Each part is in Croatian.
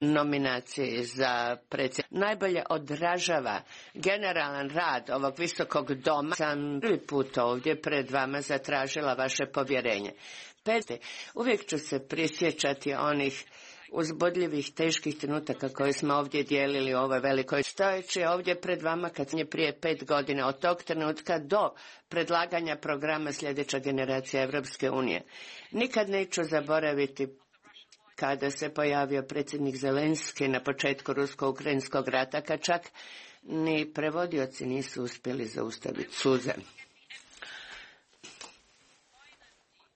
nominaciji za predsjednika najbolje odražava generalan rad ovog visokog doma. Sam prvi put ovdje pred vama zatražila vaše povjerenje. Uvijek ću se prisjećati onih uzbudljivih, teških trenutaka koje smo ovdje dijelili u ovoj velikoj stojeći ovdje pred vama kad je prije 5 godina od tog trenutka do predlaganja programa sljedeća generacija Europske unije. Nikad neću zaboraviti kada se pojavio predsjednik Zelenski na početku rusko-ukrajinskog rata, kad čak ni prevodioci nisu uspjeli zaustaviti suze.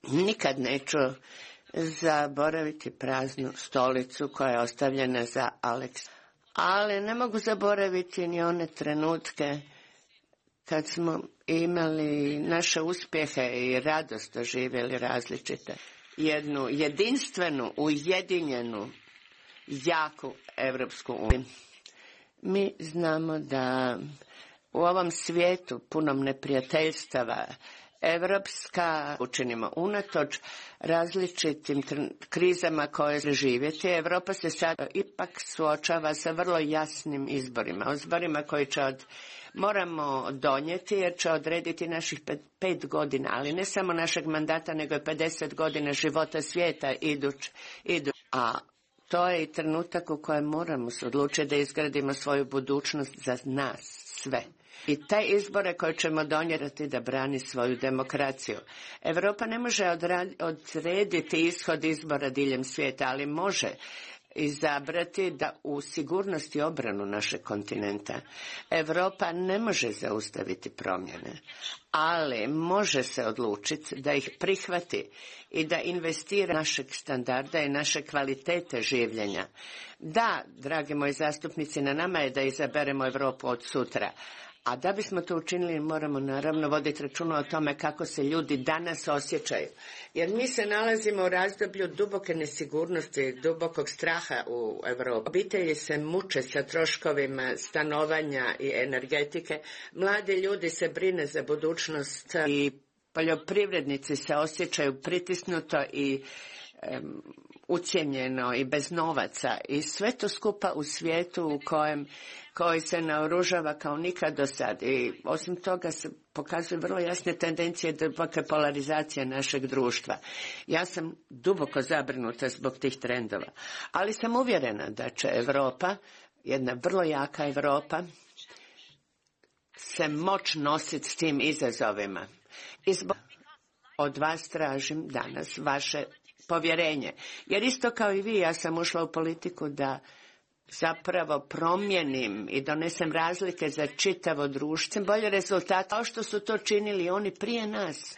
Nikad neću zaboraviti praznu stolicu koja je ostavljena za Aleksa. Ali ne mogu zaboraviti ni one trenutke kad smo imali naše uspjehe i radost doživjeli različite. Jednu jedinstvenu, ujedinjenu, jaku Europsku uniju. Mi znamo da u ovom svijetu punom neprijateljstava Evropska učinimo unatoč različitim krizama koje živjeti. Europa se sad ipak suočava sa vrlo jasnim izborima koji će moramo donijeti jer će odrediti naših 5 godina, ali ne samo našeg mandata nego i 50 godina života svijeta a to je i trenutak u kojem moramo se odlučiti da izgradimo svoju budućnost za nas sve. I taj izbore koje ćemo donijeti da brani svoju demokraciju. Europa ne može odrediti ishod izbora diljem svijeta, ali može izabrati da u sigurnost i obranu našeg kontinenta. Europa ne može zaustaviti promjene, ali može se odlučiti da ih prihvati i da investira našeg standarda i naše kvalitete življenja. Da, dragi moji zastupnici, na nama je da izaberemo Europu od sutra. A da bismo to učinili moramo naravno voditi računa o tome kako se ljudi danas osjećaju. Jer mi se nalazimo u razdoblju duboke nesigurnosti, dubokog straha u Europi. Obitelji se muče sa troškovima stanovanja i energetike. Mladi ljudi se brine za budućnost i poljoprivrednici se osjećaju pritisnuto i ucijenjeno i bez novaca i sve to skupa u svijetu koji se naoružava kao nikad do sad i osim toga se pokazuju vrlo jasne tendencije duboke polarizacije našeg društva. Ja sam duboko zabrinuta zbog tih trendova, ali sam uvjerena da će Europa, jedna vrlo jaka Europa, se moći nositi s tim izazovima. I zbog od vas tražim danas vaše povjerenje. Jer isto kao i vi, ja sam ušla u politiku da zapravo promijenim i donesem razlike za čitavo društvo, bolje rezultate, kao što su to činili oni prije nas.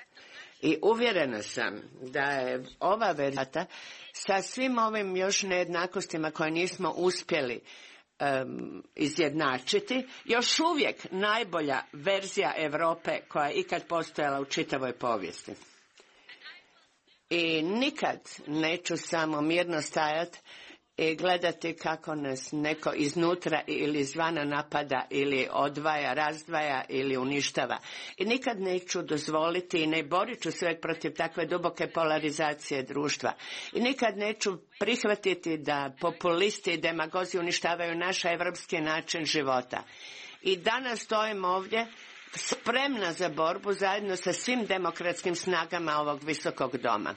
I uvjerena sam da je ova verzija sa svim ovim još nejednakostima koje nismo uspjeli izjednačiti, još uvijek najbolja verzija Europe koja je ikad postojala u čitavoj povijesti. I nikad neću samo mirno stajati i gledati kako nas neko iznutra ili izvana napada ili odvaja, razdvaja ili uništava. I nikad neću dozvoliti i ne borit ću se protiv takve duboke polarizacije društva. I nikad neću prihvatiti da populisti i demagozi uništavaju naš evropski način života. I danas stojim ovdje spremna za borbu zajedno sa svim demokratskim snagama ovog visokog doma.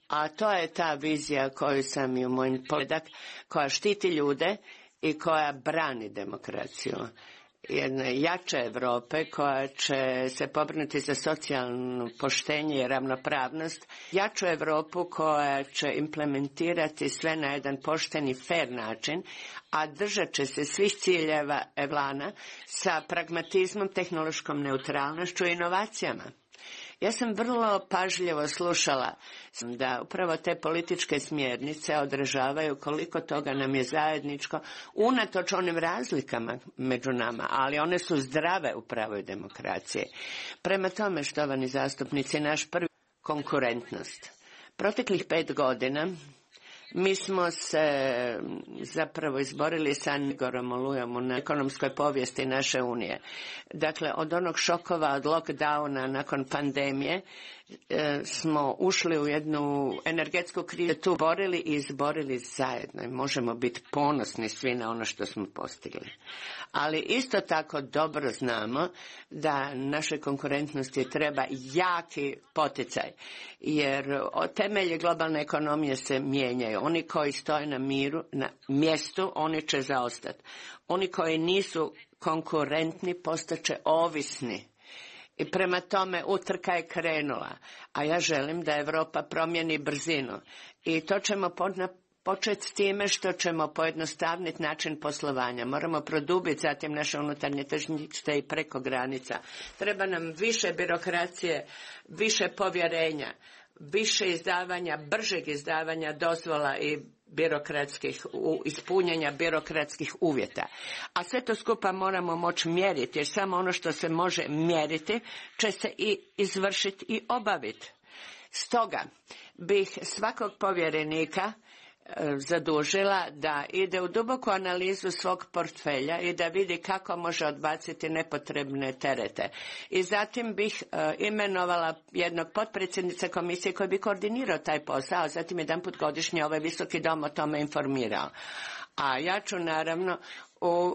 A to je ta vizija koju sam i u mojim poledak, koja štiti ljude i koja brani demokraciju. Jedne jače Europe koja će se pobrinuti za socijalno poštenje i ravnopravnost, jaču Europu koja će implementirati sve na jedan pošten i fer način, a držat će se svih ciljeva Evlana sa pragmatizmom, tehnološkom neutralnošću i inovacijama. Ja sam vrlo pažljivo slušala da upravo te političke smjernice odražavaju koliko toga nam je zajedničko, unatoč onim razlikama među nama, ali one su zdrave u pravoj demokraciji. Prema tome, štovani zastupnici, naš prvi konkurentnost. Proteklih 5 godina mi smo se zapravo izborili sa Nigorom Olujom na ekonomskoj povijesti naše Unije. Dakle, od onog šokova, od lockdowna nakon pandemije, smo ušli u jednu energetsku krizu, tu borili i izborili zajedno i možemo biti ponosni svi na ono što smo postigli. Ali isto tako dobro znamo da našoj konkurentnosti treba jaki poticaj, jer temelji globalne ekonomije se mijenjaju. Oni koji stoje na mjestu, oni će zaostati. Oni koji nisu konkurentni postaće ovisni. I prema tome utrka je krenula, a ja želim da Europa promijeni brzinu. I to ćemo početi s time što ćemo pojednostavniti način poslovanja. Moramo produbiti zatim naše unutarnje tržište i preko granica. Treba nam više birokracije, više povjerenja, više izdavanja, bržeg izdavanja dozvola i ispunjenja birokratskih uvjeta. A sve to skupa moramo moći mjeriti, jer samo ono što se može mjeriti će se i izvršiti i obaviti. Stoga bih svakog povjerenika zadužila da ide u duboku analizu svog portfelja i da vidi kako može odbaciti nepotrebne terete. I zatim bih imenovala jednog potpredsjednika komisije koji bi koordinirao taj posao, a zatim jedanput godišnje ovaj visoki dom o tome informirao. A ja ću naravno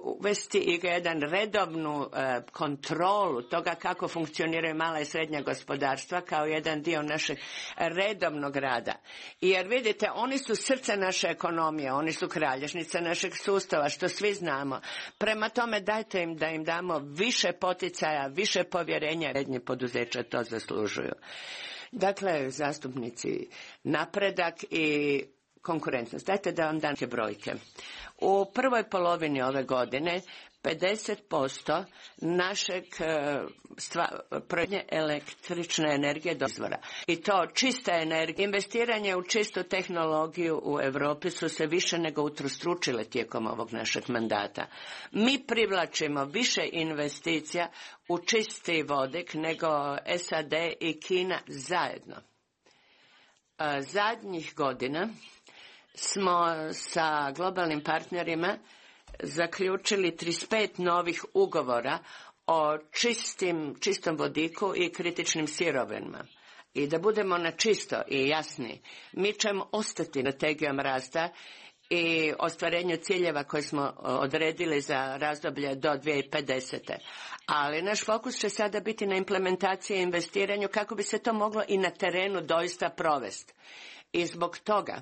uvesti i jedan redovnu kontrolu toga kako funkcioniraju mala i srednja gospodarstva kao jedan dio našeg redovnog rada. Jer vidite, oni su srce naše ekonomije, oni su kralježnica našeg sustava, što svi znamo. Prema tome dajte im da im damo više poticaja, više povjerenja, srednje poduzeća to zaslužuju. Dakle, zastupnici, napredak i konkurentnost. Dajte da vam dam neke brojke. U prvoj polovini ove godine 50% našeg proizvodnje električne energije do izvora. I to čista energija. Investiranje u čistu tehnologiju u Europi su se više nego utrostručile tijekom ovog našeg mandata. Mi privlačimo više investicija u čisti vodik nego SAD i Kina zajedno. Zadnjih godina smo sa globalnim partnerima zaključili 35 novih ugovora o čistom vodiku i kritičnim sirovinama. I da budemo na čisto i jasni, mi ćemo ostati strategijom rasta i ostvarenju ciljeva koje smo odredili za razdoblje do 2050. Ali naš fokus će sada biti na implementaciji i investiranju kako bi se to moglo i na terenu doista provesti. I zbog toga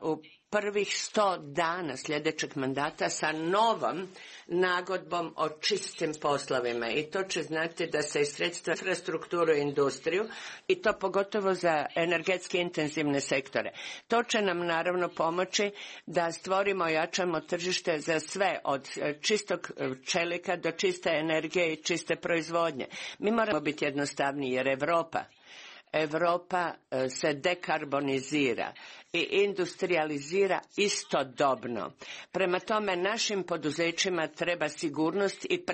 u prvih 100 dana sljedećeg mandata sa novom nagodbom o čistim poslovima i to će znači da se sredstva infrastrukturu i industriju i to pogotovo za energetski intenzivne sektore. To će nam naravno pomoći da stvorimo i jačamo tržište za sve od čistog čelika do čiste energije i čiste proizvodnje. Mi moramo biti jednostavniji jer Europa se dekarbonizira i industrializira istodobno. Prema tome našim poduzećima treba sigurnost i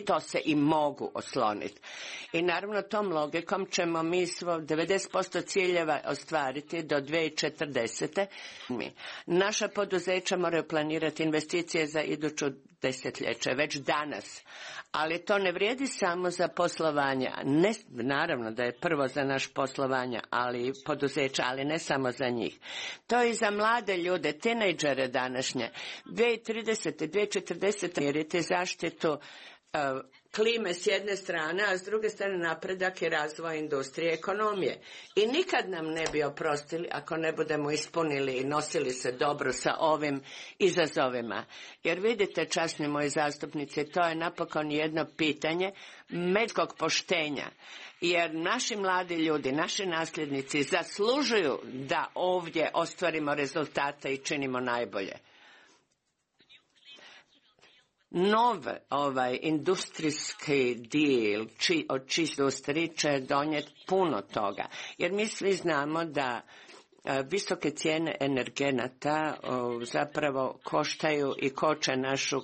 to se i mogu osloniti. I naravno tom logikom ćemo mi 90% ciljeva ostvariti do 2040. Naša poduzeća moraju planirati investicije za iduću desetljeće, već danas. Ali to ne vrijedi samo za poslovanje. Ne, naravno da je prvo za naš poslovanje, ali poduzeća, ali ne samo za njih. To je i za mlade ljude, tinejdžere današnje. 2030. 2040. mjeriti zaštitu klime s jedne strane, a s druge strane napredak i razvoj industrije i ekonomije. I nikad nam ne bi oprostili ako ne budemo ispunili i nosili se dobro sa ovim izazovima. Jer vidite, časni moji zastupnici, to je napokon jedno pitanje međuljudskog poštenja. Jer naši mladi ljudi, naši nasljednici zaslužuju da ovdje ostvarimo rezultate i činimo najbolje. Industrijski deal od čistoj industriji će donijeti puno toga. Jer mi svi znamo da visoke cijene energenata zapravo koštaju i koče našu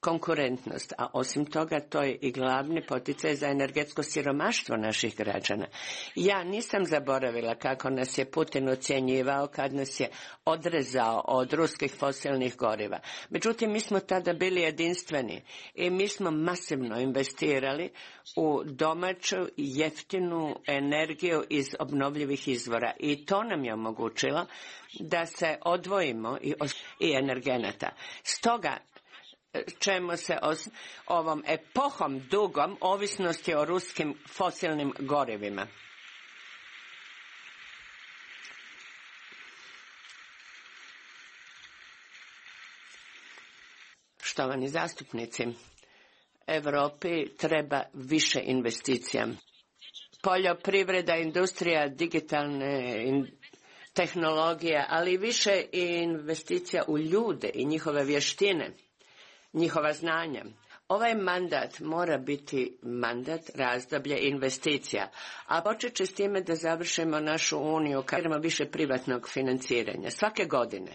konkurentnost, a osim toga to je i glavni poticaj za energetsko siromaštvo naših građana. Ja nisam zaboravila kako nas je Putin ucjenjivao kad nas je odrezao od ruskih fosilnih goriva. Međutim, mi smo tada bili jedinstveni i mi smo masivno investirali u domaću jeftinu energiju iz obnovljivih izvora i to nam je omogućilo da se odvojimo i energenata. Stoga ćemo se ovom epohom dugom ovisnosti o ruskim fosilnim gorivima. Štovani zastupnici, Europi treba više investicija. Poljoprivreda, industrija, digitalne tehnologije, ali i više investicija u ljude i njihove vještine, njihova znanja. Ovaj mandat mora biti mandat razdoblje investicija, a počet će s time da završimo našu uniju kad imamo više privatnog financiranja. Svake godine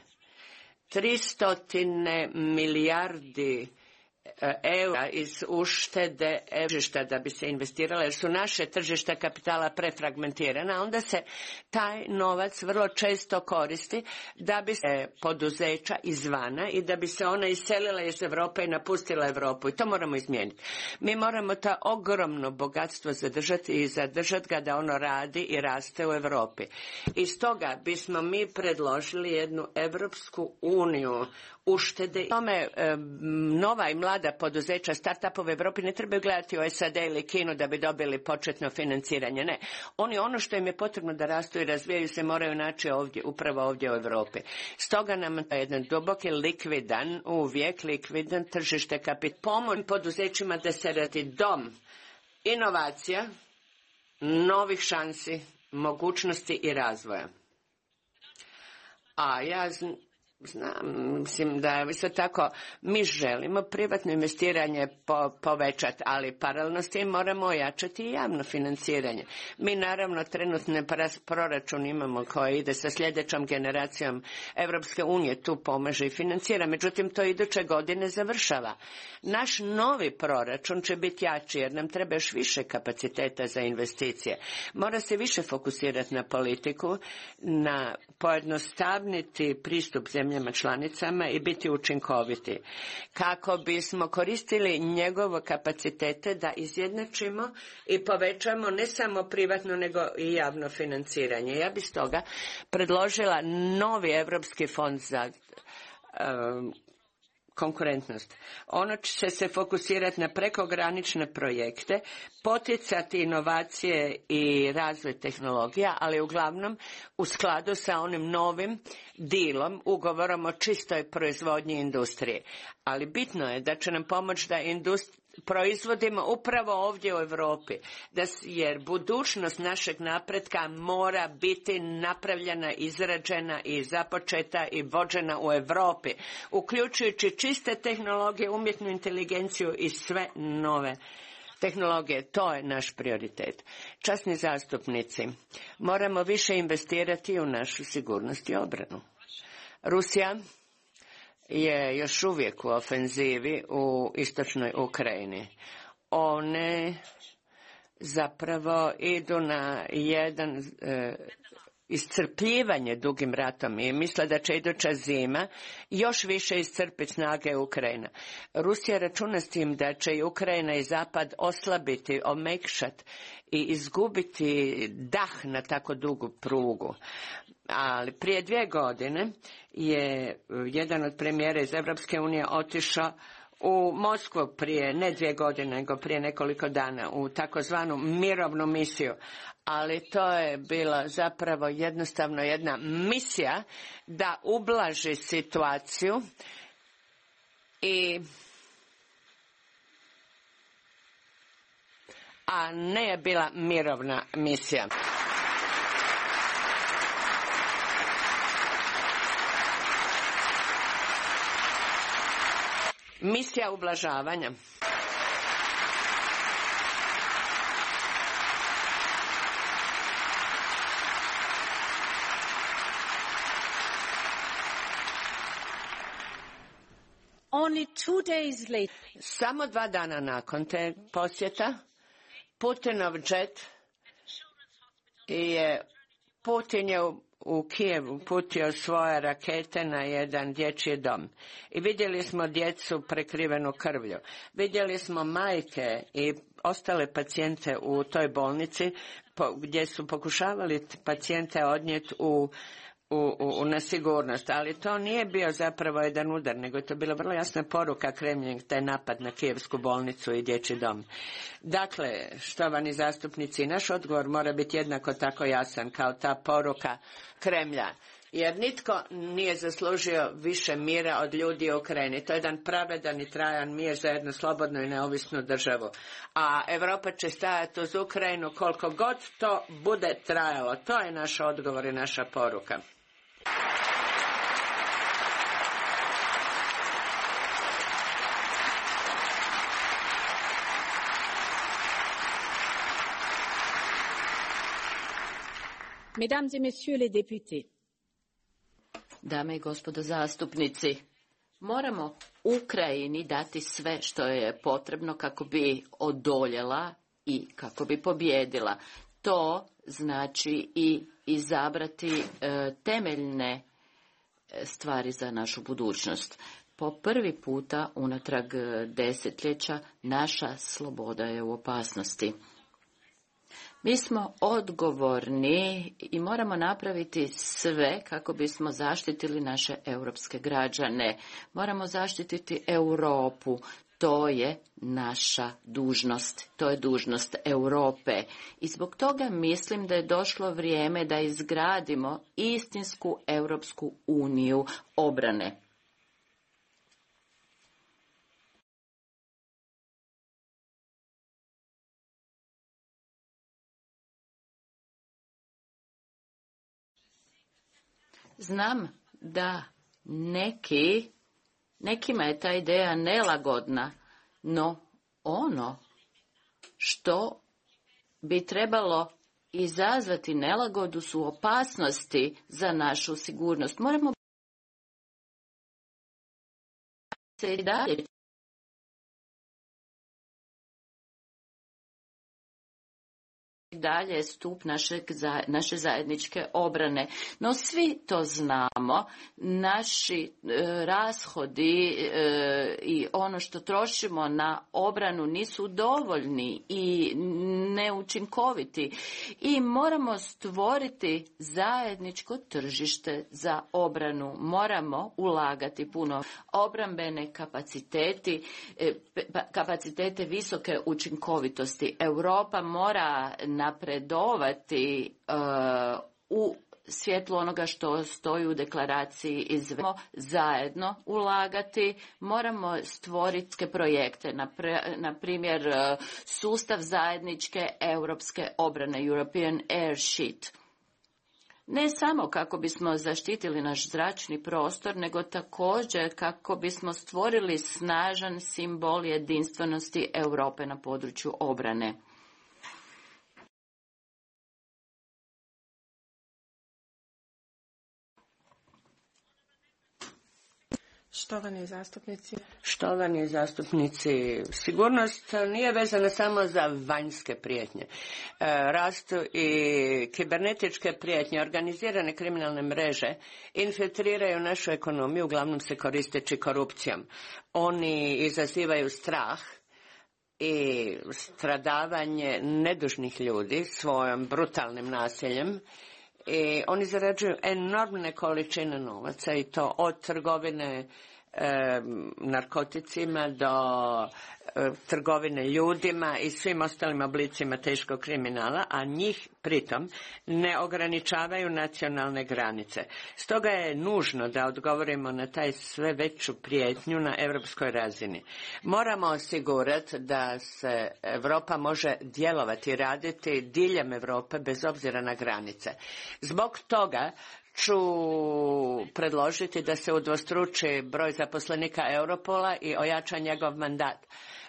300 milijardi eura iz uštede tržišta da bi se investiralo, jer su naše tržišta kapitala prefragmentirana, onda se taj novac vrlo često koristi da bi se poduzeća izvana i da bi se ona iselila iz Europe i napustila Europu, i to moramo izmijeniti. Mi moramo to ogromno bogatstvo zadržati i zadržati ga da ono radi i raste u Europi. I stoga bismo mi predložili jednu Europsku uniju uštede. Tome nova i mlada poduzeća, start-upove u Europi ne trebaju gledati u SAD ili Kinu da bi dobili početno financiranje. Ne. Oni ono što im je potrebno da rastu i razvijaju se moraju naći ovdje, upravo ovdje u Europi. Stoga nam je jedan duboki likvidan, uvijek likvidan tržište kapitala. Pomoć poduzećima da se radi dom inovacija, novih šansi, mogućnosti i razvoja. A ja znam, mislim da isto tako mi želimo privatno investiranje povećati, ali paralelno s tim moramo ojačati i javno financiranje. Mi naravno trenutno proračun imamo koji ide sa sljedećom generacijom Europske unije, tu pomaže i financira, međutim to iduće godine završava. Naš novi proračun će biti jači jer nam treba još više kapaciteta za investicije. Mora se više fokusirati na politiku, na pojednostavniti pristup zemljama članicama i biti učinkoviti, kako bismo koristili njegove kapacitete da izjednačimo i povećamo ne samo privatno nego i javno financiranje. Ja bih stoga predložila novi Europski fond za konkurentnost. Ono će se fokusirati na prekogranične projekte, poticati inovacije i razvoj tehnologija, ali uglavnom u skladu sa onim novim dilom, ugovorom o čistoj proizvodnji industrije. Ali bitno je da će nam pomoći da proizvodimo upravo ovdje u Europi, jer budućnost našeg napretka mora biti napravljena, izrađena i započeta i vođena u Europi, uključujući čiste tehnologije, umjetnu inteligenciju i sve nove tehnologije. To je naš prioritet. Časni zastupnici, moramo više investirati u našu sigurnost i obranu. Rusija je još uvijek u ofenzivi u istočnoj Ukrajini. One zapravo idu na jedan iscrpljivanje dugim ratom i misle da će iduća zima još više iscrpiti snage Ukrajina. Rusija računa s tim da će i Ukrajina i Zapad oslabiti, omekšati i izgubiti dah na tako dugu prugu. Ali prije 2 godine je jedan od premijera iz Europske unije otišao u Moskvu prije ne 2 godine, nego prije nekoliko dana u takozvanu mirovnu misiju. Ali to je bila zapravo jednostavno jedna misija da ublaži situaciju a ne je bila mirovna misija. Misija ublažavanja. Samo 2 dana nakon te posjeta, Putinov džet Putin je u Kijevu putio svoje rakete na jedan dječji dom. I vidjeli smo djecu prekrivenu krvlju. Vidjeli smo majke i ostale pacijente u toj bolnici gdje su pokušavali pacijente odnijeti na sigurnost, ali to nije bio zapravo jedan udar, nego je to bila vrlo jasna poruka Kremlja, taj napad na Kijevsku bolnicu i dječji dom. Dakle, štovani zastupnici, naš odgovor mora biti jednako tako jasan kao ta poruka Kremlja, jer nitko nije zaslužio više mira od ljudi u Ukrajini. To je jedan pravedan i trajan mir za jednu slobodnu i neovisnu državu. A Europa će stajati uz Ukrajinu koliko god to bude trajalo. To je naš odgovor i naša poruka. Mesdames et messieurs les députés. Dame i gospodo zastupnici, moramo Ukrajini dati sve što je potrebno kako bi odoljela i kako bi pobjedila. To znači i izabrati temeljne stvari za našu budućnost. Po prvi puta unatrag desetljeća naša sloboda je u opasnosti. Mi smo odgovorni i moramo napraviti sve kako bismo zaštitili naše europske građane. Moramo zaštititi Europu. To je naša dužnost. To je dužnost Europe. I zbog toga mislim da je došlo vrijeme da izgradimo istinsku Europsku uniju obrane. Znam da nekima je ta ideja nelagodna, no ono što bi trebalo izazvati nelagodu su opasnosti za našu sigurnost. Moramo se i dalje dalje stup naše zajedničke obrane. No svi to znamo, naši rashodi i ono što trošimo na obranu nisu dovoljni i neučinkoviti i moramo stvoriti zajedničko tržište za obranu. Moramo ulagati puno obrambene kapacitete visoke učinkovitosti. Europa mora napredovati u svjetlu onoga što stoji u deklaraciji zajedno ulagati, moramo stvoriti projekte, na primjer sustav zajedničke europske obrane, European Air Sheet. Ne samo kako bismo zaštitili naš zračni prostor, nego također kako bismo stvorili snažan simbol jedinstvenosti Europe na području obrane. Štovani zastupnici, sigurnost nije vezana samo za vanjske prijetnje. Rastu i kibernetičke prijetnje, organizirane kriminalne mreže infiltriraju našu ekonomiju, uglavnom se koristeći korupcijom. Oni izazivaju strah i stradavanje nedužnih ljudi svojom brutalnim nasiljem. I oni zarađuju enormne količine novaca i to od trgovine narkoticima do trgovine ljudima i svim ostalim oblicima teškog kriminala, a njih pritom ne ograničavaju nacionalne granice. Stoga je nužno da odgovorimo na taj sve veću prijetnju na europskoj razini. Moramo osigurati da se Europa može djelovati i raditi diljem Europe bez obzira na granice. Zbog toga ću predložiti da se udvostruči broj zaposlenika Europola i ojača njegov mandat,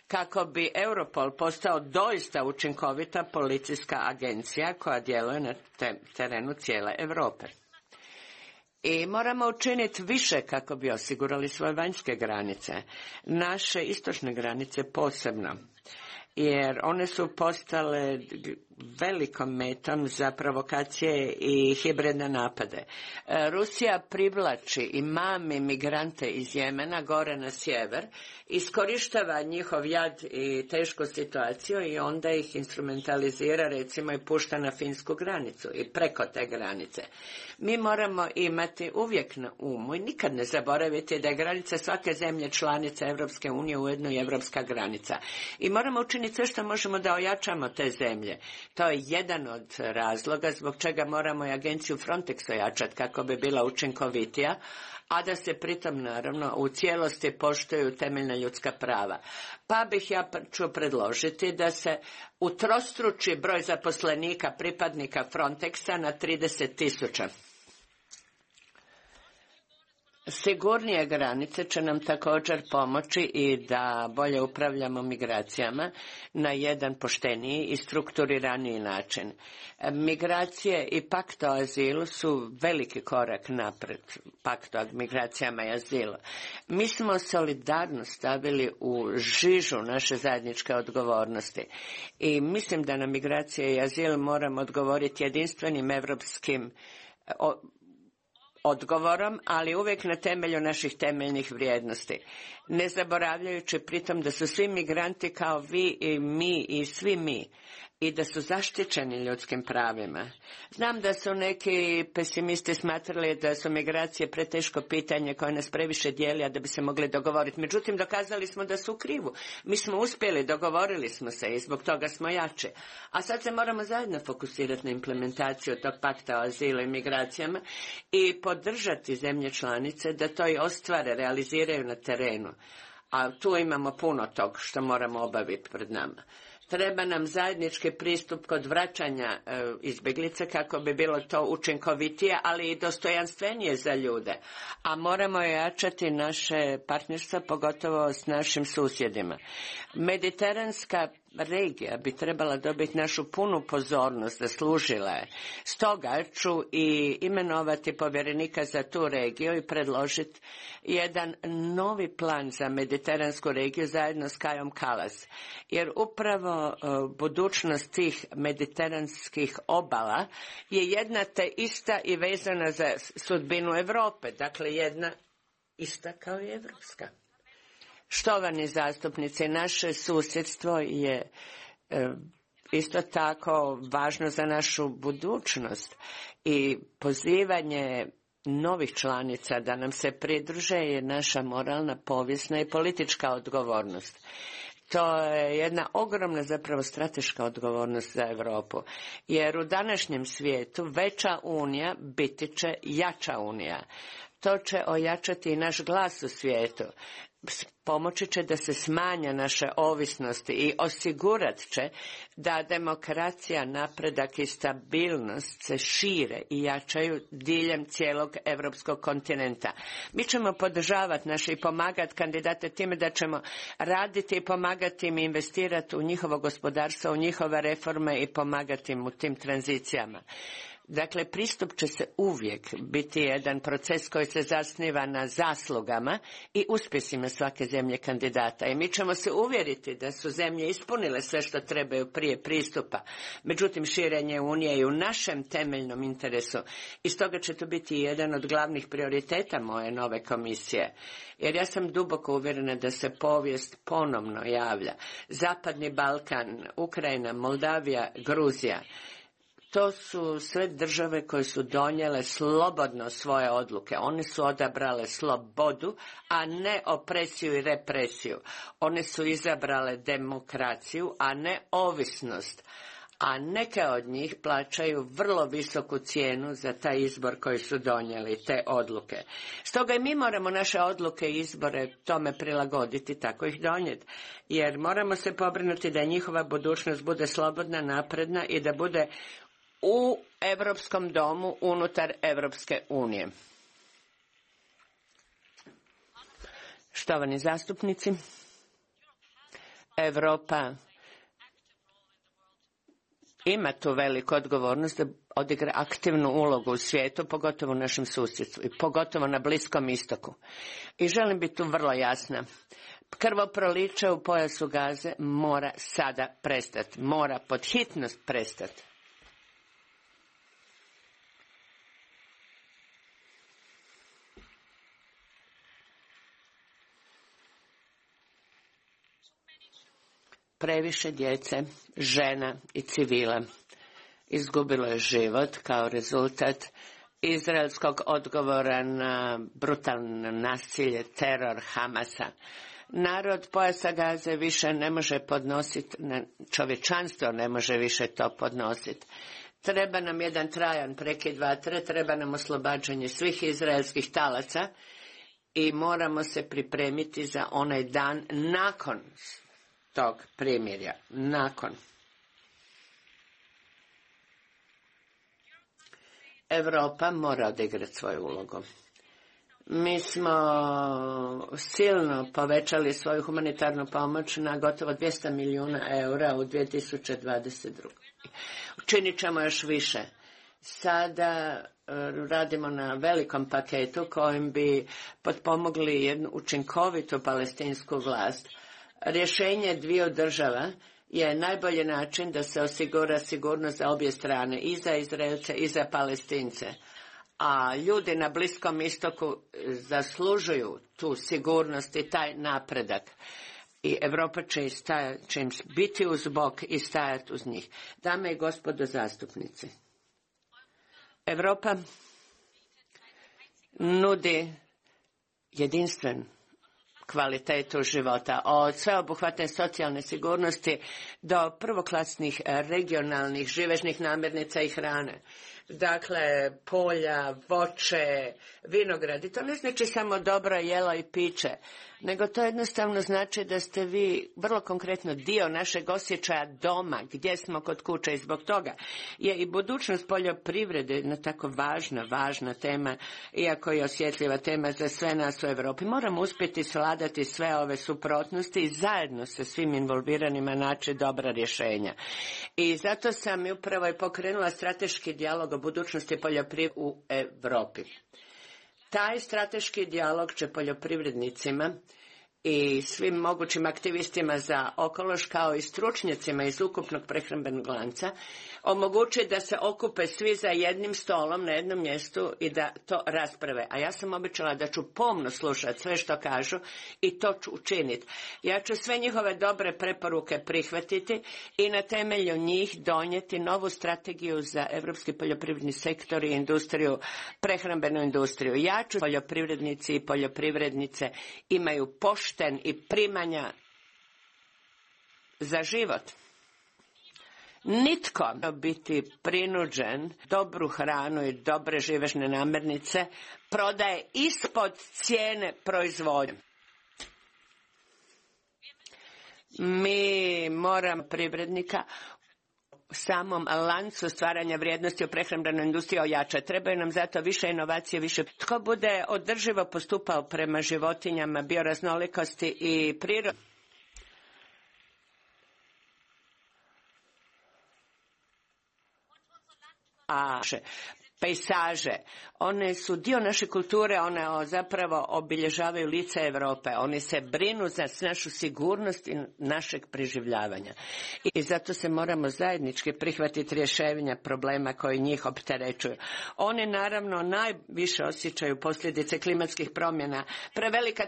kako bi Europol postao doista učinkovita policijska agencija koja djeluje na terenu cijele Europe. I moramo učiniti više kako bi osigurali svoje vanjske granice, naše istočne granice posebno, jer one su postale velikom metom za provokacije i hibridne napade. Rusija privlači i mami migrante iz Jemena gore na sjever, iskorištava njihov jad i tešku situaciju i onda ih instrumentalizira, recimo, i pušta na finsku granicu i preko te granice. Mi moramo imati uvijek na umu i nikad ne zaboraviti da je granica svake zemlje članice Europske unije ujedno i europska granica. I moramo učiniti sve što možemo da ojačamo te zemlje. To je jedan od razloga zbog čega moramo i agenciju Frontex ojačati kako bi bila učinkovitija, a da se pritom naravno u cijelosti poštuju temeljna ljudska prava. Pa bih ja ću predložiti da se utrostruči broj zaposlenika pripadnika Frontexa na 30.000. Sigurnije granice će nam također pomoći i da bolje upravljamo migracijama na jedan pošteniji i strukturiraniji način. Migracije i pakt o azilu su veliki korak napred, pakt o migracijama i azilu. Mi smo solidarnost stavili u žižu naše zajedničke odgovornosti i mislim da na migracije i azil moramo odgovoriti jedinstvenim europskim odgovorom, ali uvijek na temelju naših temeljnih vrijednosti. Ne zaboravljajući pritom da su svi migranti kao vi i mi i svi mi i da su zaštićeni ljudskim pravima. Znam da su neki pesimisti smatrali da su migracije preteško pitanje koje nas previše dijeli, a da bi se mogli dogovoriti. Međutim, dokazali smo da su u krivu. Mi smo uspjeli, dogovorili smo se i zbog toga smo jači. A sad se moramo zajedno fokusirati na implementaciju tog pakta o azilu i migracijama i podržati zemlje članice da to i ostvare, realiziraju na terenu. A tu imamo puno tog što moramo obaviti pred nama. Treba nam zajednički pristup kod vraćanja izbjeglica kako bi bilo to učinkovitije, ali i dostojanstvenije za ljude. A moramo jačati naše partnerstva, pogotovo s našim susjedima. Mediteranska regija bi trebala dobiti našu punu pozornost, zaslužila je. Stoga ću i imenovati povjerenika za tu regiju i predložiti jedan novi plan za mediteransku regiju zajedno s Kajom Kallas. Jer upravo budućnost tih mediteranskih obala je jedna te ista i vezana za sudbinu Europe, dakle jedna ista kao i evropska. Štovani zastupnici, naše susjedstvo je isto tako važno za našu budućnost i pozivanje novih članica da nam se pridruže je naša moralna, povijesna i politička odgovornost. To je jedna ogromna zapravo strateška odgovornost za Europu, jer u današnjem svijetu veća unija biti će jača unija. To će ojačati i naš glas u svijetu. Pomoći će da se smanja naše ovisnosti i osigurat će da demokracija, napredak i stabilnost se šire i jačaju diljem cijelog europskog kontinenta. Mi ćemo podržavati naše i pomagati kandidate time da ćemo raditi i pomagati im investirati u njihovo gospodarstvo, u njihove reforme i pomagati im u tim tranzicijama. Dakle, pristup će se uvijek biti jedan proces koji se zasniva na zaslugama i uspjesima svake zemlje kandidata. I mi ćemo se uvjeriti da su zemlje ispunile sve što trebaju prije pristupa. Međutim, širenje Unije je u našem temeljnom interesu. I stoga će to biti jedan od glavnih prioriteta moje nove komisije. Jer ja sam duboko uvjerena da se povijest ponovno javlja. Zapadni Balkan, Ukrajina, Moldavija, Gruzija. To su sve države koje su donijele slobodno svoje odluke. One su odabrale slobodu, a ne opresiju i represiju. One su izabrale demokraciju, a ne ovisnost. A neke od njih plaćaju vrlo visoku cijenu za taj izbor koji su donijeli, te odluke. Stoga i mi moramo naše odluke i izbore tome prilagoditi, tako ih donijeti. Jer moramo se pobrinuti da njihova budućnost bude slobodna, napredna i da bude u Europskom domu unutar Europske unije. Štovani zastupnici, Europa ima tu veliku odgovornost da odigra aktivnu ulogu u svijetu, pogotovo u našem susjedstvu i pogotovo na Bliskom istoku. I želim biti tu vrlo jasna. Krvoproliće u pojasu Gaze mora sada prestati, mora pod hitnost prestati. Previše djece, žena i civila izgubilo je život kao rezultat izraelskog odgovora na brutalno nasilje, teror Hamasa. Narod pojasa Gaze više ne može podnositi, čovječanstvo ne može više to podnositi. Treba nam jedan trajan prekid vatre, treba nam oslobađanje svih izraelskih talaca i moramo se pripremiti za onaj dan nakon tog primirja, nakon. Europa mora odigrati svoju ulogu. Mi smo silno povećali svoju humanitarnu pomoć na gotovo 200 milijuna eura u 2022. Učinit ćemo još više. Sada radimo na velikom paketu kojim bi potpomogli jednu učinkovitu palestinsku vlast. Rješenje dviju država je najbolji način da se osigura sigurnost za obje strane, i za Izraelce i za Palestince. A ljudi na Bliskom istoku zaslužuju tu sigurnost i taj napredak. I Europa će im biti uz bok i stajati uz njih. Dame i gospodo zastupnici, Europa nudi jedinstven kvalitetu života, od sveobuhvatne socijalne sigurnosti do prvoklasnih regionalnih živežnih namirnica i hrane. Dakle, polja, voće, vinogradi, to ne znači samo dobro jelo i piće, nego to jednostavno znači da ste vi vrlo konkretno dio našeg osjećaja doma, gdje smo kod kuće, i zbog toga je i budućnost poljoprivrede jedna tako važna tema, iako je osjetljiva tema za sve nas u Europi. Moramo uspjeti svladati sve ove suprotnosti i zajedno sa svim involviranima naći dobra rješenja. I zato sam upravo i pokrenula strateški dijalog o budućnosti poljoprivrede u Europi. Taj strateški dijalog će poljoprivrednicima i svim mogućim aktivistima za okoliš, kao i stručnjacima iz ukupnog prehrambenog lanca, omogući da se okupe svi za jednim stolom na jednom mjestu i da to rasprave. A ja sam obećala da ću pomno slušati sve što kažu i to ću učiniti. Ja ću sve njihove dobre preporuke prihvatiti i na temelju njih donijeti novu strategiju za europski poljoprivredni sektor i industriju, prehrambenu industriju. Ja ću poljoprivrednici i poljoprivrednice imaju pošten i primanja za život. Nitko ne biti prinuđen dobru hranu i dobre živežne namirnice prodaje ispod cijene proizvodnje. Mi moramo privrednika samom lancu stvaranja vrijednosti u prehrambenoj industriji ojačati. Trebaju nam zato više inovacije, više. Tko bude održivo postupao prema životinjama, bioraznolikosti i prirodi. A pejsaže, one su dio naše kulture, one zapravo obilježavaju lice Europe, one se brinu za našu sigurnost i našeg preživljavanja. I zato se moramo zajednički prihvatiti rješenja problema koji njih opterećuju. Oni naravno najviše osjećaju posljedice klimatskih promjena. Prevelika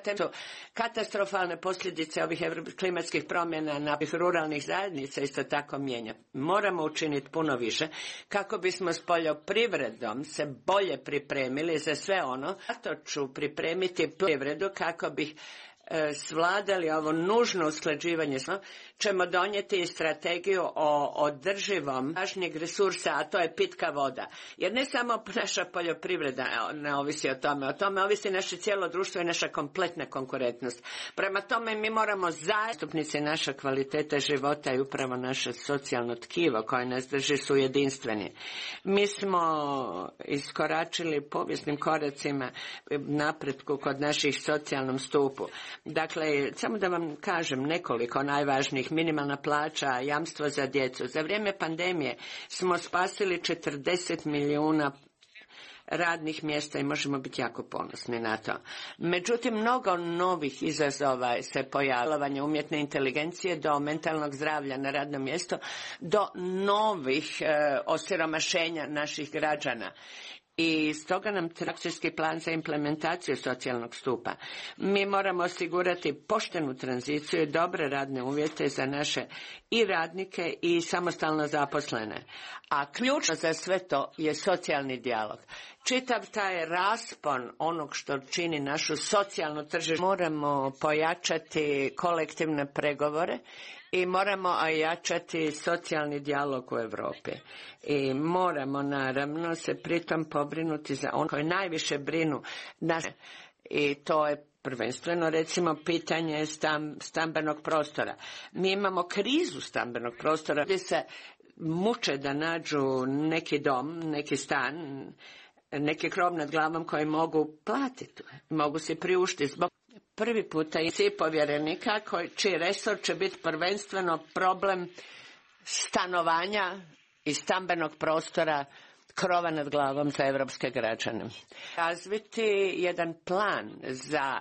katastrofalne posljedice ovih klimatskih promjena na ruralnih zajednica isto tako mijenja. Moramo učiniti puno više kako bismo s poljoprivredom se bolje pripremili za sve ono. Zato ću pripremiti privredu kako bih svladali ovo nužno usklađivanje. Ćemo donijeti i strategiju o održivom važnijeg resursa, a to je pitka voda. Jer ne samo naša poljoprivreda ne ovisi o tome ovisi naše cijelo društvo i naša kompletna konkurentnost. Prema tome mi moramo zastupnici naša kvaliteta života i upravo naše socijalno tkivo koje nas drži su jedinstveni. Mi smo iskoračili povijesnim koracima napretku kod naših socijalnom stupu. Dakle, samo da vam kažem nekoliko najvažnijih: minimalna plaća, jamstvo za djecu. Za vrijeme pandemije smo spasili 40 milijuna radnih mjesta i možemo biti jako ponosni na to. Međutim, mnogo novih izazova se pojavljavanja umjetne inteligencije do mentalnog zdravlja na radnom mjestu, do novih osiromašenja naših građana. I stoga nam treba akcijski plan za implementaciju socijalnog stupa. Mi moramo osigurati poštenu tranziciju i dobre radne uvjete za naše i radnike i samostalno zaposlene. A ključno za sve to je socijalni dijalog. Čitav taj raspon onog što čini našu socijalnu tržištu. Moramo pojačati kolektivne pregovore i moramo ojačati socijalni dijalog u Europi. I moramo naravno se pritom pobrinuti za one koji najviše brinu naše. I to je prvenstveno recimo pitanje stambenog prostora. Mi imamo krizu stambenog prostora gdje se muče da nađu neki dom, neki stan, neki krov nad glavom koji mogu platiti, mogu se priuštiti. Zbog prvi puta i svi povjerenika čiji resor će biti prvenstveno problem stanovanja i stambenog prostora, krova nad glavom za europske građane. Razviti jedan plan za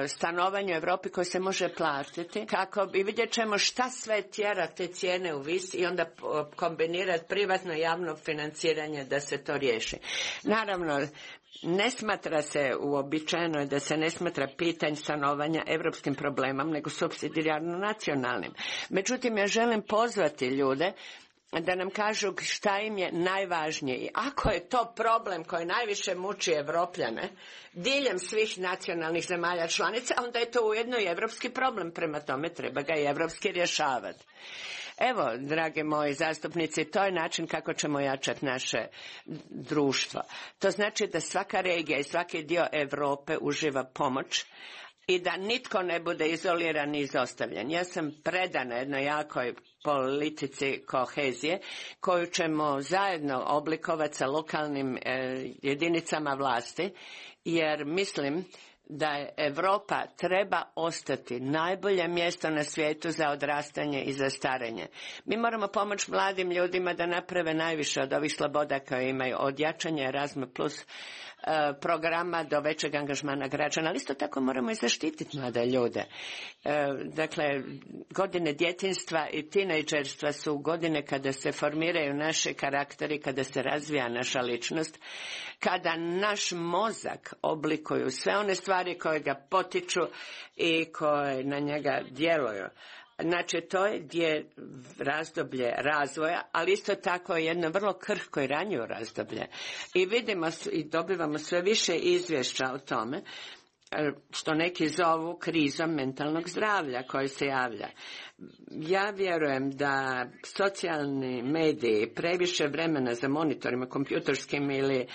stanovanje u Europi koji se može platiti, kako i vidjet ćemo šta sve tjera te cijene u vis i onda kombinirati privatno i javno financiranje da se to riješi. Naravno, ne smatra se uobičajeno da se ne smatra pitanje stanovanja europskim problemom, nego supsidijarno nacionalnim. Međutim, ja želim pozvati ljude da nam kažu šta im je najvažnije. I ako je to problem koji najviše muči Europljane diljem svih nacionalnih zemalja članica, onda je to ujedno i europski problem, prema tome treba ga i europski rješavati. Evo, drage moji zastupnici, to je način kako ćemo jačati naše društvo. To znači da svaka regija i svaki dio Europe uživa pomoć i da nitko ne bude izoliran i izostavljen. Ja sam predana jednoj jakoj politici kohezije koju ćemo zajedno oblikovati sa lokalnim jedinicama vlasti, jer mislim da Europa treba ostati najbolje mjesto na svijetu za odrastanje i za starenje. Mi moramo pomoći mladim ljudima da naprave najviše od ovih sloboda koje imaju, od jačanja Erasmus plus programa do većeg angažmana građana, ali isto tako moramo i zaštititi mlade ljude. Dakle, godine djetinjstva i tinejdžerstva su godine kada se formiraju naši karakteri, kada se razvija naša ličnost, kada naš mozak oblikuju sve one stvari koje ga potiču i koje na njega djeluju. Znači, to je razdoblje razvoja, ali isto tako jedno vrlo krhko i ranjivo razdoblje. I vidimo i dobivamo sve više izvješća o tome, što neki zovu krizom mentalnog zdravlja koji se javlja. Ja vjerujem da socijalni mediji previše vremena za monitorima kompjuterskim ili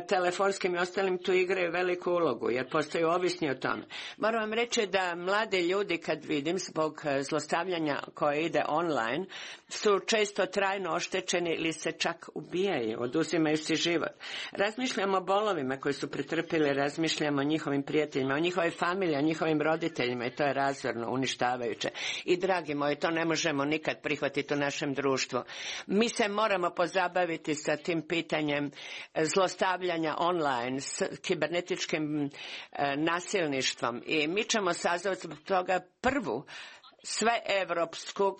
telefonskim i ostalim tu igraju veliku ulogu, jer postaju ovisni o tome. Moram vam reći da mlade ljudi, kad vidim, zbog zlostavljanja koje ide online, su često trajno oštećeni ili se čak ubijaju, oduzimaju si život. Razmišljamo o bolovima koji su pretrpili, razmišljamo o njihovim prijateljima, o njihovoj familiji, o njihovim roditeljima i to je razorno, uništavajuće. I dragi moji, to ne možemo nikad prihvatiti u našem društvu. Mi se moramo pozabaviti sa tim pitanjem zlostavljanja online, s kibernetičkim nasilništvom i mi ćemo sazvati zbog toga prvu sveevropsku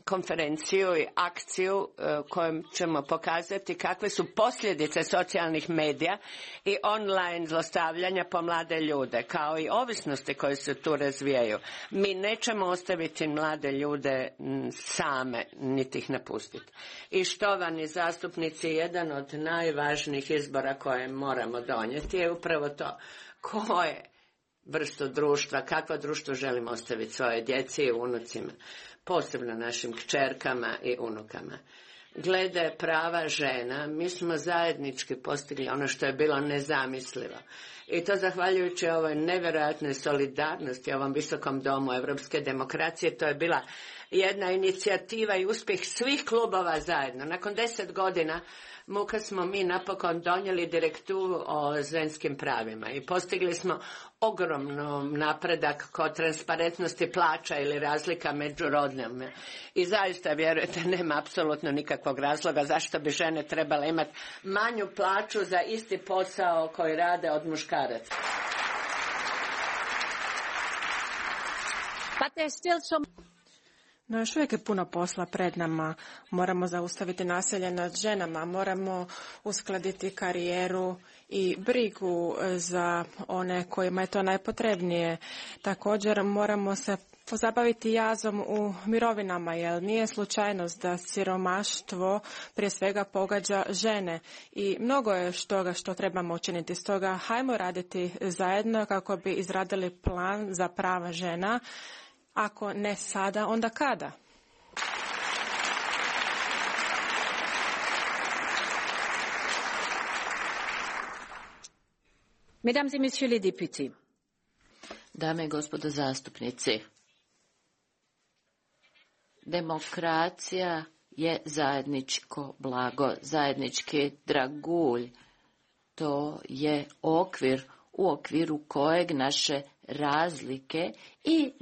konferenciju i akciju kojom ćemo pokazati kakve su posljedice socijalnih medija i online zlostavljanja po mlade ljude, kao i ovisnosti koje se tu razvijaju. Mi nećemo ostaviti mlade ljude same, niti ih napustiti. I štovani zastupnici, jedan od najvažnijih izbora koje moramo donijeti je upravo to: koje vrstu društva, kakvo društvo želimo ostaviti svoje djeci i unucima, posebno našim kćerkama i unukama. Glede prava žena, mi smo zajednički postigli ono što je bilo nezamislivo. I to zahvaljujući ovoj nevjerojatnoj solidarnosti, ovom visokom domu europske demokracije, to je bila jedna inicijativa i uspjeh svih klubova zajedno. Nakon 10 godina muka smo mi napokon donijeli direktivu o ženskim pravima i postigli smo ogromno napredak kod transparentnosti plaća ili razlika među rodnima. I zaista, vjerujete, nema apsolutno nikakvog razloga zašto bi žene trebale imati manju plaću za isti posao koji rade od muškaraca. But there's still some... No, još uvijek je puno posla pred nama. Moramo zaustaviti nasilje nad ženama, moramo uskladiti karijeru i brigu za one kojima je to najpotrebnije. Također moramo se pozabaviti jazom u mirovinama, jer nije slučajnost da siromaštvo prije svega pogađa žene i mnogo je toga što trebamo učiniti. Stoga hajmo raditi zajedno kako bi izradili plan za prava žena. Ako ne sada, onda kada? Mesdames et messieurs les députés. Dame i gospodo zastupnici, demokracija je zajedničko blago, zajednički dragulj. To je okvir u okviru kojeg naše razlike i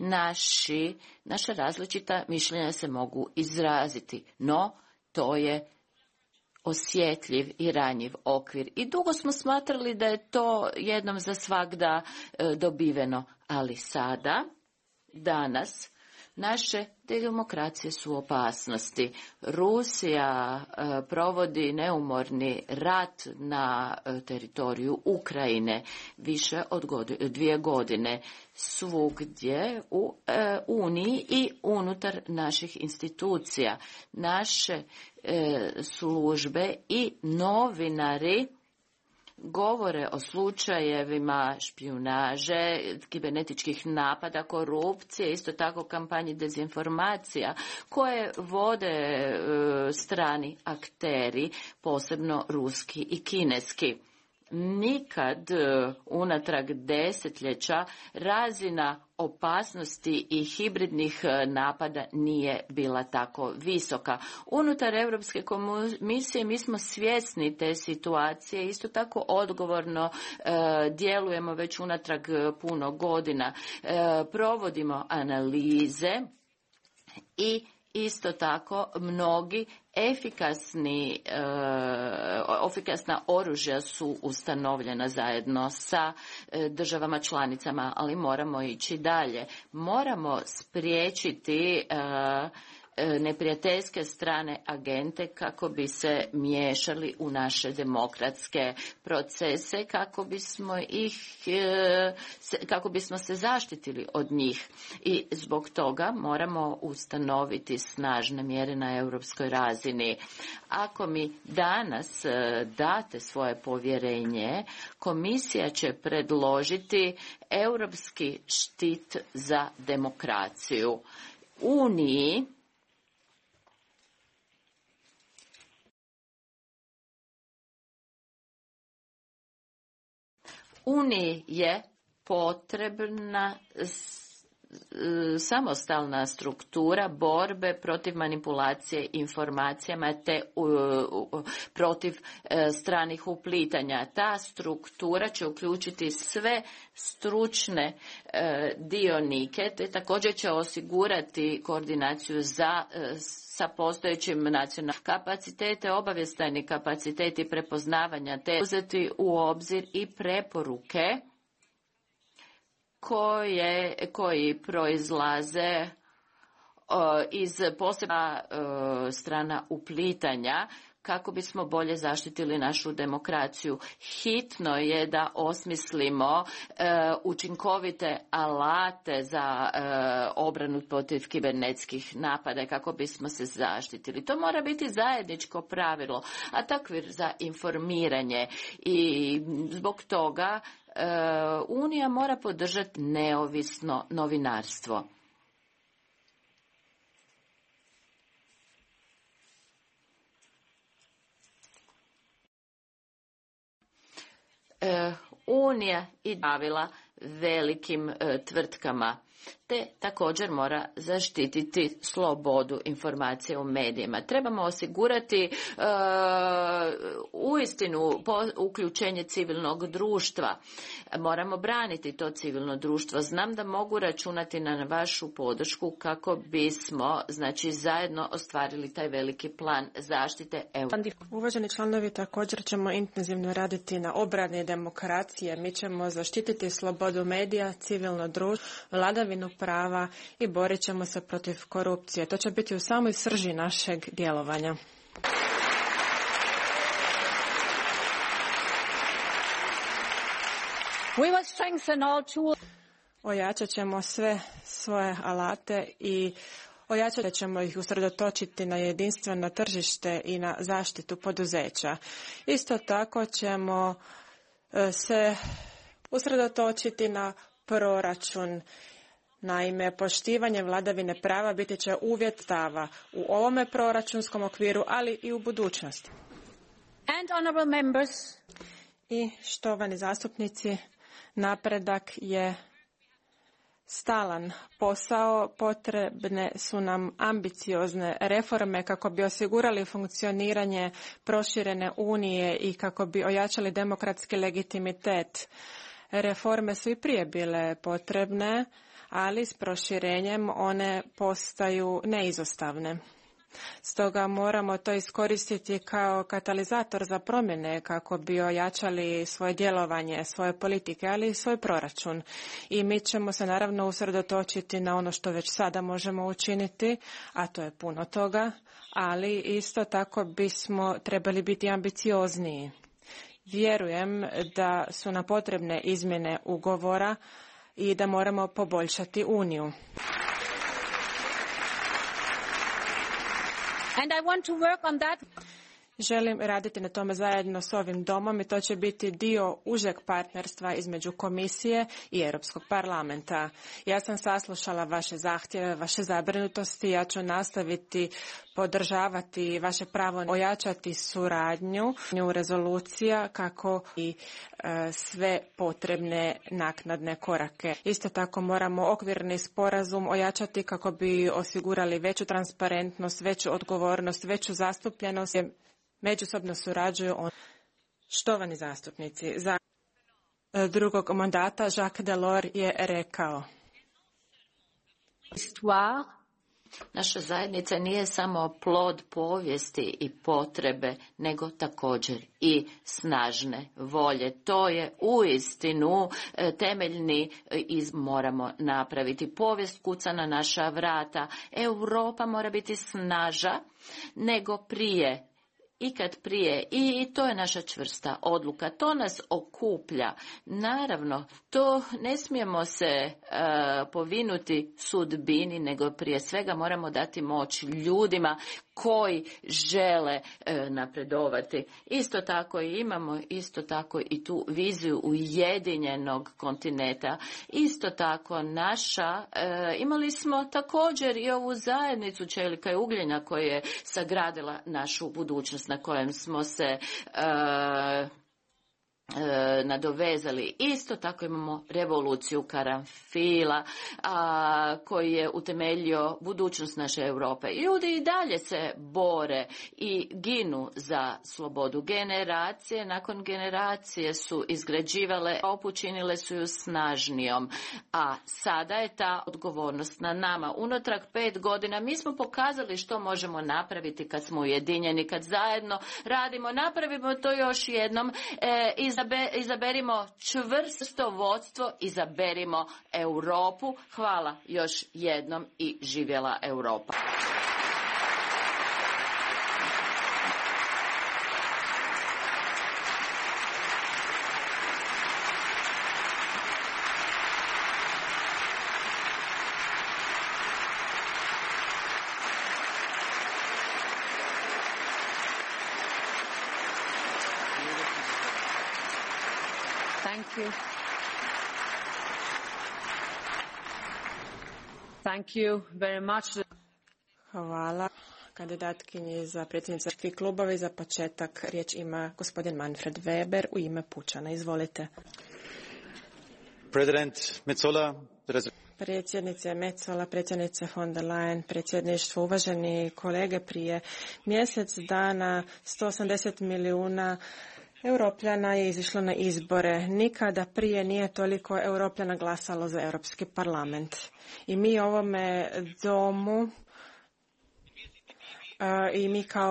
naša različita mišljenja se mogu izraziti. No, to je osjetljiv i ranjiv okvir. I dugo smo smatrali da je to jednom za svagda dobiveno, ali sada, danas, naše demokracije su u opasnosti. Rusija provodi neumorni rat na teritoriju Ukrajine više od 2 godine svugdje u Uniji i unutar naših institucija. Naše službe i novinari govore o slučajevima špijunaže, kibernetičkih napada, korupcije, isto tako kampanji dezinformacija koje vode strani akteri, posebno ruski i kineski. Nikad unatrag desetljeća razina opasnosti i hibridnih napada nije bila tako visoka. Unutar Europske komisije mi smo svjesni te situacije, isto tako odgovorno djelujemo već unatrag puno godina. Provodimo analize i isto tako mnogi efikasna oružja su ustanovljena zajedno sa državama članicama, ali moramo ići dalje. Moramo spriječiti neprijateljske strane agente kako bi se miješali u naše demokratske procese, kako bismo se zaštitili od njih. I zbog toga moramo ustanoviti snažne mjere na europskoj razini. Ako mi danas date svoje povjerenje, komisija će predložiti europski štit za demokraciju. Uniji je potrebna samostalna struktura borbe protiv manipulacije informacijama te protiv stranih uplitanja. Ta struktura će uključiti sve stručne dionike te također će osigurati koordinaciju sa postojećim nacionalnim kapacitete, obavještajni kapaciteti prepoznavanja te uzeti u obzir i preporuke koji proizlaze iz posebna strana uplitanja kako bismo bolje zaštitili našu demokraciju. Hitno je da osmislimo učinkovite alate za obranu protiv kibernetskih napada kako bismo se zaštitili. To mora biti zajedničko pravilo, a takvir za informiranje i zbog toga Unija mora podržati neovisno novinarstvo. Unija i davila velikim tvrtkama. te također mora zaštititi slobodu informacije u medijima. Trebamo osigurati uistinu uključenje civilnog društva. Moramo braniti to civilno društvo. Znam da mogu računati na vašu podršku kako bismo zajedno ostvarili taj veliki plan zaštite. Uvaženi članovi, također ćemo intenzivno raditi na obrani demokracije. Mi ćemo zaštititi slobodu medija, civilno društvo, vladavinu prava i borit ćemo se protiv korupcije. To će biti u samoj srži našeg djelovanja. We will strengthen all tools. Ojačat ćemo sve svoje alate i ojačat ćemo ih usredotočiti na jedinstveno tržište i na zaštitu poduzeća. Isto tako ćemo se usredotočiti na proračun. Naime, poštivanje vladavine prava biti će uvjet stava u ovome proračunskom okviru, ali i u budućnosti. And honorable members. I štovani zastupnici, napredak je stalan posao, potrebne su nam ambiciozne reforme kako bi osigurali funkcioniranje proširene unije i kako bi ojačali demokratski legitimitet. Reforme su i prije bile potrebne, ali s proširenjem one postaju neizostavne. Stoga moramo to iskoristiti kao katalizator za promjene kako bi ojačali svoje djelovanje, svoje politike, ali i svoj proračun. I mi ćemo se naravno usredotočiti na ono što već sada možemo učiniti, a to je puno toga, ali isto tako bismo trebali biti ambiciozniji. Vjerujem da su nam potrebne izmjene ugovora i da moramo poboljšati Uniju. And I want to work on that. Želim raditi na tome zajedno s ovim domom i to će biti dio užeg partnerstva između Komisije i Europskog parlamenta. Ja sam saslušala vaše zahtjeve, vaše zabrinutosti, ja ću nastaviti podržavati vaše pravo ojačati suradnju rezolucija kako i sve potrebne naknadne korake. Isto tako moramo okvirni sporazum ojačati kako bi osigurali veću transparentnost, veću odgovornost, veću zastupljenost. Međusobno surađuju štovani zastupnici. Za drugog mandata Jacques Delors je rekao: Naša zajednica nije samo plod povijesti i potrebe, nego također i snažne volje. To je uistinu temeljni moramo napraviti. Povijest kuca na naša vrata. Europa mora biti snaža nego prije. Ikad prije. I to je naša čvrsta odluka. To nas okuplja. Naravno, to ne smijemo se povinuti sudbini, nego prije svega moramo dati moć ljudima koji žele napredovati. Isto tako i imamo i tu viziju ujedinjenog kontinenta. Isto tako imali smo također i ovu zajednicu čelika i ugljena koja je sagradila našu budućnost, na kojem smo se nadovezali. Isto tako imamo revoluciju karanfila koji je utemeljio budućnost naše Europe. Ljudi i dalje se bore i ginu za slobodu. Generacije nakon generacije su izgrađivale Europu, činile su ju snažnijom, a sada je ta odgovornost na nama. Unatrag 5 godina mi smo pokazali što možemo napraviti kad smo ujedinjeni, kad zajedno radimo. Napravimo to još jednom. Izaberimo čvrsto vodstvo, izaberimo Europu. Hvala još jednom i živjela Europa. Thank you very much. Hvala kandidatkinji za predsjednicu svih klubova i za početak riječ ima gospodin Manfred Weber u ime Pučana. Izvolite. predsjednice Metsola, predsjednice von der Leyen, predsjedništvo, uvaženi kolege, prije mjesec dana 180 milijuna Europljana je izišlo na izbore. Nikada prije nije toliko Europljana glasalo za Europski parlament. I mi u ovome domu i mi kao